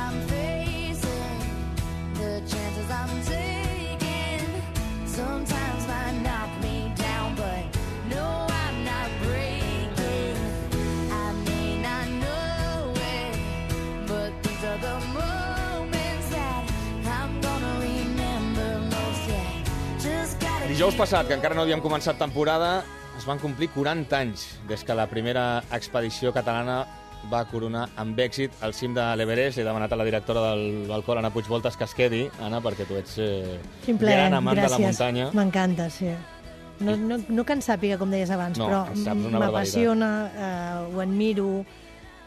I'm facing, the chances I'm taking, sometimes might knock me down, but no, I'm not breaking. I may not know it, but these are the moments that I'm gonna remember most, yeah. Just gotta... Dijous passat, que encara no havíem començat temporada, es van complir 40 anys des que la primera expedició catalana va coronar amb èxit al cim de l'Everest. He demanat a la directora del Balcó, Anna Puigvoltes, que es quedi, Anna, perquè tu ets gran amant de la muntanya. M'encanta, sí. No que en sàpiga, com deies abans, no, però m'apassiona, ho admiro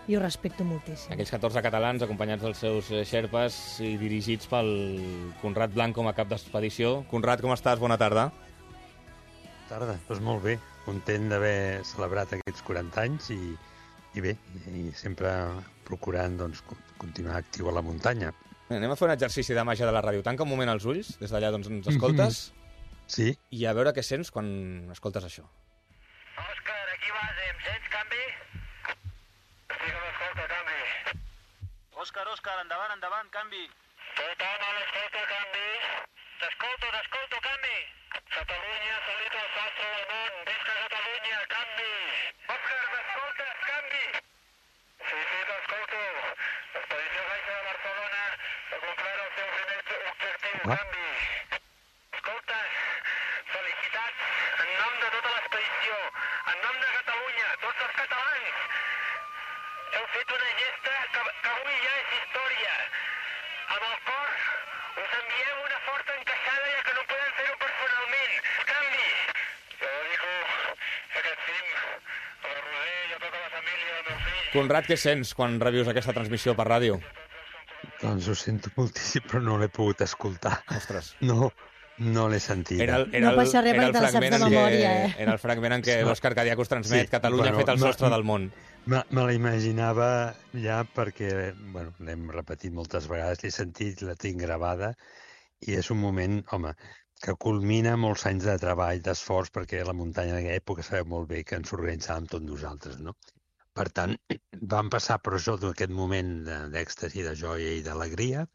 i ho respecto moltíssim. Aquells 14 catalans acompanyats dels seus xerpes i dirigits pel Conrad Blanc com a cap d'expedició. Conrad, com estàs? Bona tarda. Tarda, doncs molt bé. Content d'haver celebrat aquests 40 anys i bé, i sempre procurant doncs, continuar actiu a la muntanya. Anem a fer un exercici de màgia de la ràdio. Tanca un moment els ulls, des d'allà doncs, ens escoltes, Sí. I a veure què sents quan escoltes això. Òscar, aquí vas, em sents, canvi? Sí que m'escolta, canvi. Òscar, endavant, canvi. Tothom a l'escolta, canvi. T'escolto, canvi. Catalunya, salit al sastre del món. Visca Catalunya, canvi. Òscar, m'escoltes, canvi. Sí, t'escolto. L'expedició Baixa de Barcelona ha complert el seu primer objectiu, canvi. Escoltes, felicitats en nom de tota l'expedició, en nom de Catalunya, tots els catalans. Heu fet una gesta que avui ja és història. Amb el cor us enviem una forta encaixada, ja que no podem fer-ho personalment. Canvi! Jo dedico aquest cim a la Roser i a tota la família del meu fill. Conrad, què sents quan revius aquesta transmissió per ràdio? Doncs ho sento moltíssim, però no l'he pogut escoltar. Ostres. No l'he sentit. No passa res perquè te la saps de memòria, Era el fragment en què l'Òscar Cadiac us transmet Catalunya ha fet el sostre del món. Me la imaginava ja perquè, l'hem repetit moltes vegades, l'he sentit, la tinc gravada, i és un moment, home, que culmina molts anys de treball, d'esforç, perquè la muntanya en aquella època sabeu molt bé que ens organitzàvem tots nosaltres, no? Per tant, vam passar per això d'aquest moment d'èxtasi, de joia i d'alegria,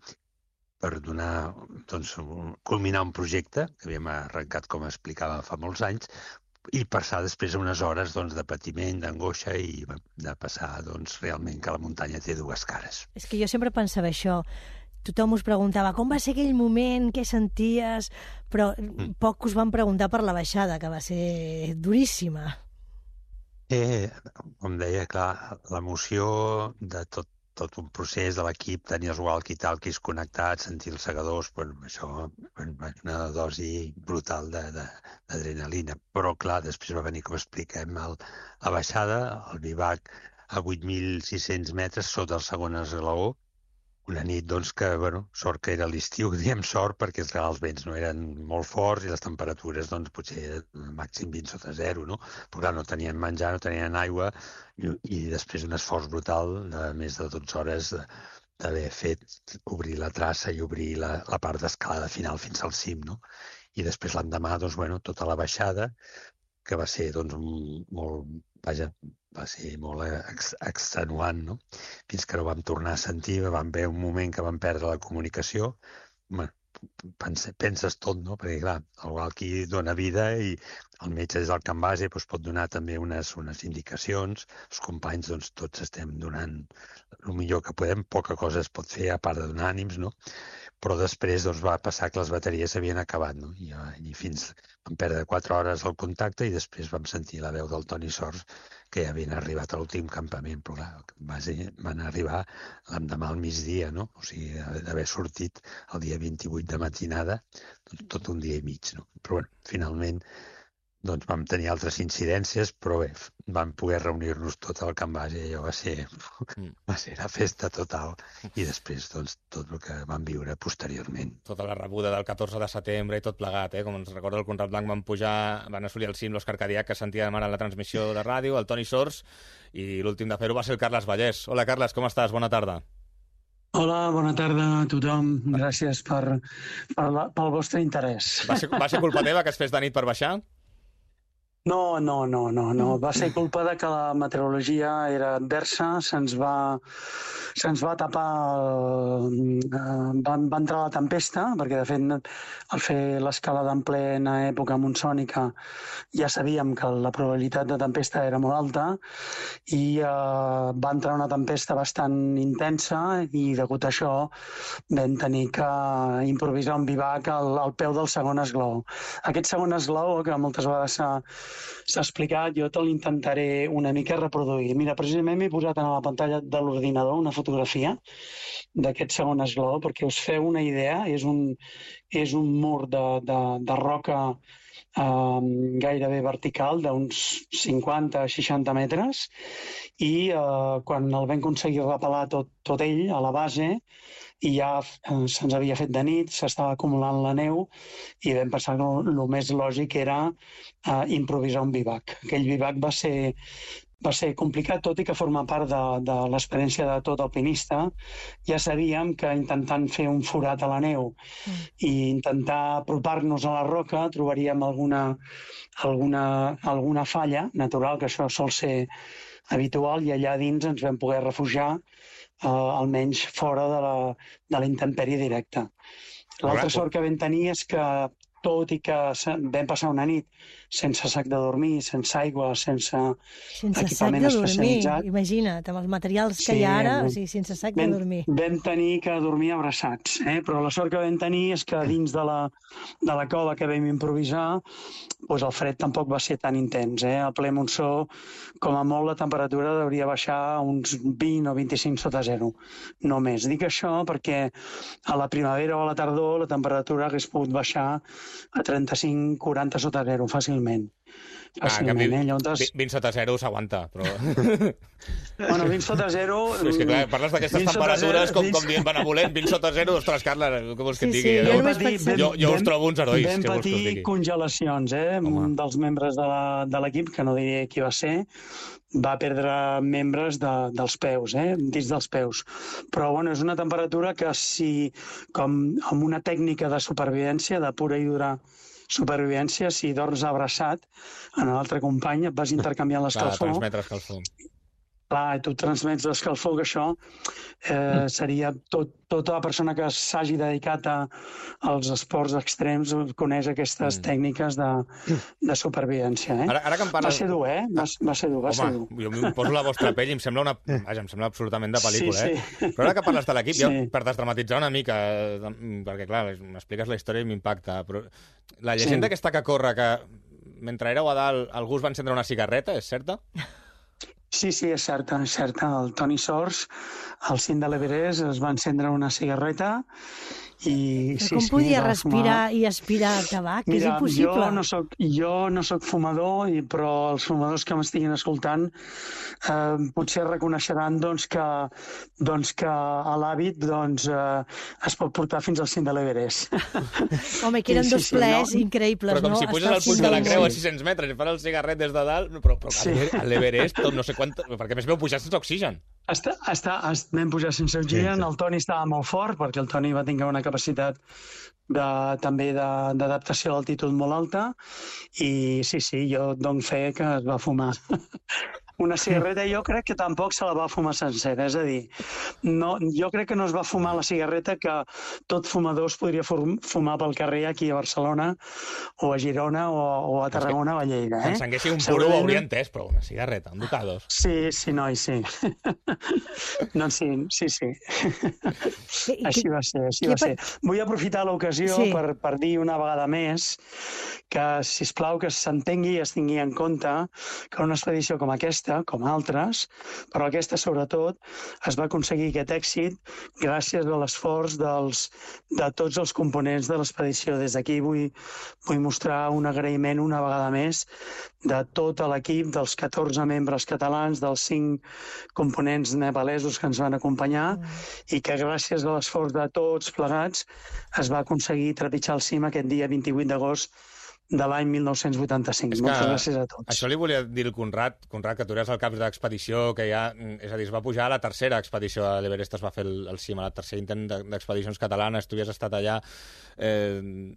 per donar, doncs, culminar un projecte que havíem arrencat, com explicava, fa molts anys, i passar després unes hores doncs, de patiment, d'angoixa i de passar doncs, realment que la muntanya té dues cares. És que jo sempre pensava això. Tothom us preguntava com va ser aquell moment, què senties, però poc us van preguntar per la baixada, que va ser duríssima. Com deia, clar, l'emoció de tot un procés de l'equip, tenir els walkie-talkies connectats, sentir els segadors, això una dosi brutal d'adrenalina. Però, clar, després va venir, com expliquem, la baixada, el bivac a 8.600 metres sota el segon esglaó, una nit, doncs, que, sort que era l'estiu, diem sort, perquè els vents no eren molt forts i les temperatures, doncs, potser màxim 20 sota zero, no? Però, clar, no tenien menjar, no tenien aigua, i després un esforç brutal de més de 12 hores d'haver fet obrir la traça i obrir la part d'escalada final fins al cim, no? I després l'endemà, doncs, tota la baixada, que va ser, doncs, va ser molt extenuant, no? Fins que no vam tornar a sentir, vam veure un moment que vam perdre la comunicació. Penses tot, no? Perquè, clar, el walkie dona vida i el metge des del camp base pot donar també unes indicacions. Els companys, doncs, tots estem donant el millor que podem. Poca cosa es pot fer a part de donar ànims, no? Però després doncs, va passar que les bateries s'havien acabat, no? I fins vam perdre 4 hores el contacte i després vam sentir la veu del Toni Sors que ja havien arribat a l'últim campament, però clar, van arribar l'endemà al migdia, no? O sigui, d'haver sortit el dia 28 de matinada, tot un dia i mig, no? Però finalment doncs vam tenir altres incidències, però bé, vam poder reunir-nos tot al camp base i allò va ser la festa total. I després, doncs, tot el que vam viure posteriorment. Tota la rebuda del 14 de setembre i tot plegat, com ens recorda el Conrad Blanc, van assolir el cim l'Òscar Cadiac, que sentia demanar la transmissió de ràdio, el Toni Sors, i l'últim de fer-ho va ser el Carles Vallès. Hola, Carles, com estàs? Bona tarda. Hola, bona tarda a tothom. Gràcies pel vostre interès. Va ser culpa teva que es fes de nit per baixar? No. Va ser culpa de que la meteorologia era adversa, se'ns va tapar, va entrar la tempesta, perquè de fet al fer l'escalada en plena època monsònica ja sabíem que la probabilitat de tempesta era molt alta i va entrar una tempesta bastant intensa i degut a això vam tenir que improvisar un bivac al peu del segon esglaó. Aquest segon esglaó, que moltes vegades s'ha explicat, jo te l'intentaré una mica reproduir. Mira, precisament m'he posat a la pantalla de l'ordinador una fotografia d'aquest segon esglaó perquè us feu una idea. És un mur de roca gairebé vertical d'uns 50-60 metres i quan el vam aconseguir repelar tot ell a la base i ja se'ns havia fet de nit, s'estava acumulant la neu i vam pensar que el més lògic era improvisar un bivac. Aquell bivac va ser complicat, tot i que forma part de l'experiència de tot alpinista. Ja sabíem que intentant fer un forat a la neu i intentar apropar-nos a la roca trobaríem alguna falla natural, que això sol ser habitual, i allà dins ens vam poder refugiar almenys fora de la intempèrie directa. L'altra sort que vam tenir és que, tot i que vam passar una nit sense sac de dormir, sense aigua, sense equipament especialitzat... Imagina't, amb els materials que hi ha ara, o sigui, sense sac de dormir. Vam tenir que dormir abraçats, però la sort que vam tenir és que dins de la cova que vam improvisar, doncs el fred tampoc va ser tan intens. A ple monsó, com a molt, la temperatura hauria baixar a uns 20 o 25 sota zero, no més. Dic això perquè a la primavera o a la tardor la temperatura hagués pogut baixar a 35-40 sota zero, fàcilment. En canvi, 20 sota zero s'aguanta, però... Bueno, 20 sota zero... És que clar, parles d'aquestes temperatures com dient benevolent, 20 sota zero, ostres, Carla, què vols que et digui? Jo us trobo uns herois. Vam patir congelacions, dels membres de l'equip, que no diré qui va ser, va perdre membres dels peus, dins dels peus. Però, bueno, és una temperatura que si, com amb una tècnica de supervivència, de pura i dura supervivència, si dors abraçat en l'altre company, et vas intercanviant l'escalfor. Clar, transmetre escalfor. Clar, tu transmets l'escalfor, que això seria tota la persona que s'hagi dedicat als esports extrems coneix aquestes tècniques de supervivència. Ara que em parles... Va ser dur, va ser dur. Home, jo em poso la vostra pell i em sembla absolutament de pel·lícula, Sí. Però ara que parles de l'equip, jo, per desdramatitzar una mica, perquè, clar, m'expliques la història i m'impacta, però la llegenda aquesta que corre, que mentre éreu a dalt algú us va encendre una cigarreta, és certa? Sí, és certa. El Toni Sors, al cim de l'Everest, es va encendre una cigarreta i... Però com podia respirar i aspirar tabac? És impossible. Jo no soc fumador, però els fumadors que m'estiguin escoltant potser reconeixeran que a l'hàbit es pot portar fins al cim de l'Everest. Home, que eren dos plers increïbles, no? Però com si puges al puig de la Creu a 600 metres i fas el cigarret des de dalt, però a l'Everest no sé quant... Perquè més veu pujar sense oxigen. Vam pujar sense oxigen, el Toni estava molt fort, perquè el Toni va tenir una capacitat també d'adaptació a l'altitud molt alta, i sí, jo dono fe que es va fumar una cigarreta. Jo crec que tampoc se la va fumar sencera, és a dir, jo crec que no es va fumar la cigarreta que tot fumador es podria fumar pel carrer aquí a Barcelona o a Girona o a Tarragona o a Lleida. Si encenguessi un puro ho hauria entès, però una cigarreta, un ducados. Sí, noi, sí. Doncs sí. Així va ser. Vull aprofitar l'ocasió per dir una vegada més que, sisplau, que s'entengui i es tingui en compte que una expedició com aquesta, com altres, però aquesta sobretot, es va aconseguir aquest èxit gràcies a l'esforç de tots els components de l'expedició. Des d'aquí vull mostrar un agraïment una vegada més de tot l'equip, dels 14 membres catalans, dels 5 components nepalesos que ens van acompanyar, i que gràcies a l'esforç de tots plegats es va aconseguir trepitjar el cim aquest dia 28 d'agost de l'any 1985. Moltes gràcies a tots. Això li volia dir el Conrad, que tu eres el cap d'expedició, que ja, és a dir, es va pujar a la tercera expedició a l'Everest, es va fer el cim, a la tercer intent d'expedicions catalanes, tu havies estat allà.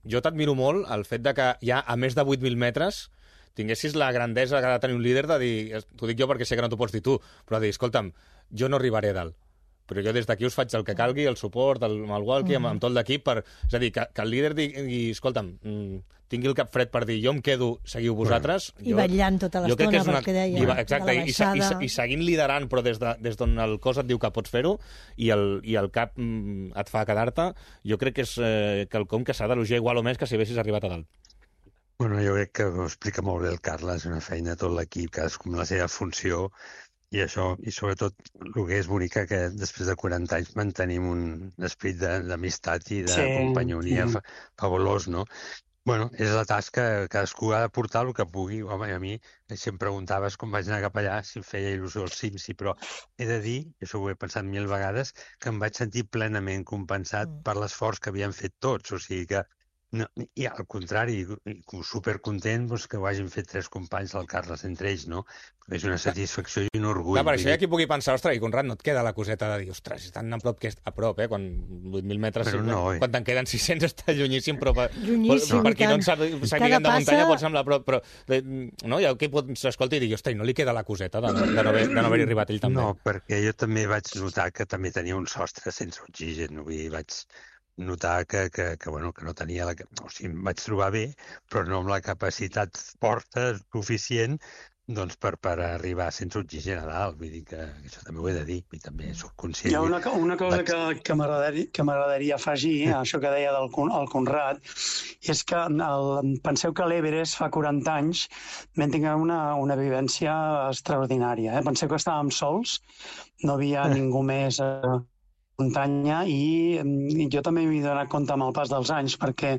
Jo t'admiro molt el fet de que ja a més de 8.000 metres tinguessis la grandesa que ha de tenir un líder de dir, t'ho dic jo perquè sé que no t'ho pots dir tu, però de dir, escolta'm, jo no arribaré dalt, però jo des d'aquí us faig el que calgui, el suport, amb el walkie, amb tot l'equip, és a dir, que el líder digui, escolta'm, tingui el cap fred per dir, jo em quedo, seguiu vosaltres. I vetllant tota l'estona, perquè deia, exacte, de la baixada. I seguint liderant, però des d'on el cos et diu que pots fer-ho, i el cap et fa quedar-te, jo crec que és quelcom que s'ha d'elogiar igual o més que si haguessis arribat a dalt. Bueno, jo crec que ho explica molt bé el Carles, una feina de tot l'equip, cadascú amb la seva funció, i això, i sobretot el que és bonic que després de 40 anys mantenim un esperit d'amistat i de companyonia fabulós, no? Bueno, és la tasca, cadascú ha de portar el que pugui. Home, a mi, si em preguntaves com vaig anar cap allà, si em feia il·lusió el cim, sí, però he de dir, i això ho he pensat 1000 vegades, que em vaig sentir plenament compensat per l'esforç que havien fet tots, o sigui que no, i al contrari, supercontent que ho hagin fet 3 companys, el Carles entre ells, no? És una satisfacció i un orgull. Clar, per això hi ha qui pugui pensar, ostres, i Conrad, no et queda la coseta de dir, ostres, tan a prop que és a prop, quan 8.000 metres, quan te'n queden 600 està llunyíssim, però per qui no en sàpiguen de muntanya pot semblar prop, però no, hi ha qui pot s'escolti i dir, ostres, no li queda la coseta de no haver-hi arribat ell també. No, perquè jo també vaig notar que també tenia un sostre sense oxigen, vull dir, vaig notar que no tenia o sigui, em vaig trobar bé, però no amb la capacitat forta suficient doncs per arribar sense oxigen a dalt. Vull dir que això també ho he de dir, i també soc conscient. Hi ha una cosa que m'agradaria afegir, això que deia el Conrad, és que penseu que a l'Everest fa 40 anys vam tenir una vivència extraordinària. Penseu que estàvem sols, no havia ningú més muntanya, i jo també m'he donat compte amb el pas dels anys, perquè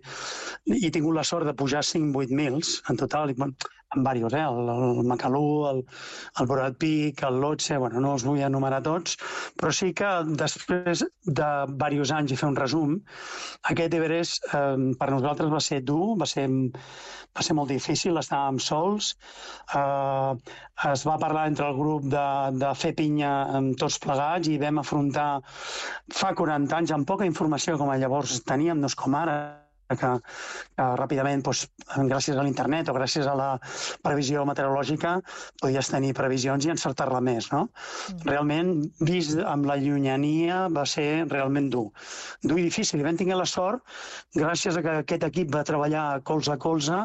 he tingut la sort de pujar 5-8 mills en total, en diversos, el Macalú, el Broad Peak, el Lhotse, no els vull enumerar tots, però sí que després de diversos anys, i fer un resum, aquest Everest per nosaltres va ser dur, va ser molt difícil, estàvem sols, es va parlar entre el grup de fer pinya amb tots plegats i vam afrontar fa 40 anys amb poca informació com llavors teníem, no és com ara, que ràpidament, gràcies a l'internet o gràcies a la previsió meteorològica, podies tenir previsions i encertar-la més, no? Realment, vist amb la llunyania, va ser realment dur i difícil. I vam tenir la sort, gràcies a que aquest equip va treballar colze a colze,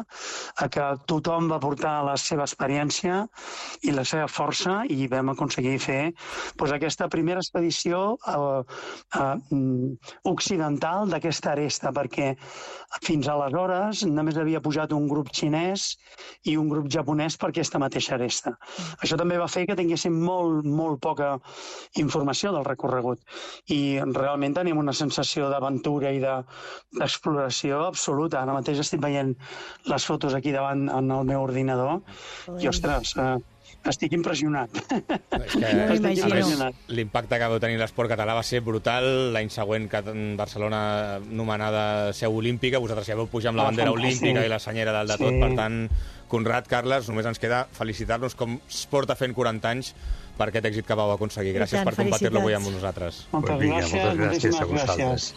a que tothom va portar la seva experiència i la seva força, i vam aconseguir fer aquesta primera expedició occidental d'aquesta aresta, perquè fins aleshores només havia pujat un grup xinès i un grup japonès per aquesta mateixa aresta. Això també va fer que tinguéssim molt poca informació del recorregut, i realment tenim una sensació d'aventura i d'exploració absoluta. Ara mateix estic veient les fotos aquí davant en el meu ordinador i, ostres, estic impressionat. L'impacte que va tenir l'esport català va ser brutal. L'any següent, Barcelona nomenada seu olímpica, vosaltres ja vau pujar amb la bandera olímpica i la senyera dalt de tot. Per tant, Conrad, Carles, només ens queda felicitar-nos com es porta fent 40 anys per aquest èxit que vau aconseguir. Gràcies per compartir-lo avui amb nosaltres. Moltes gràcies a vosaltres.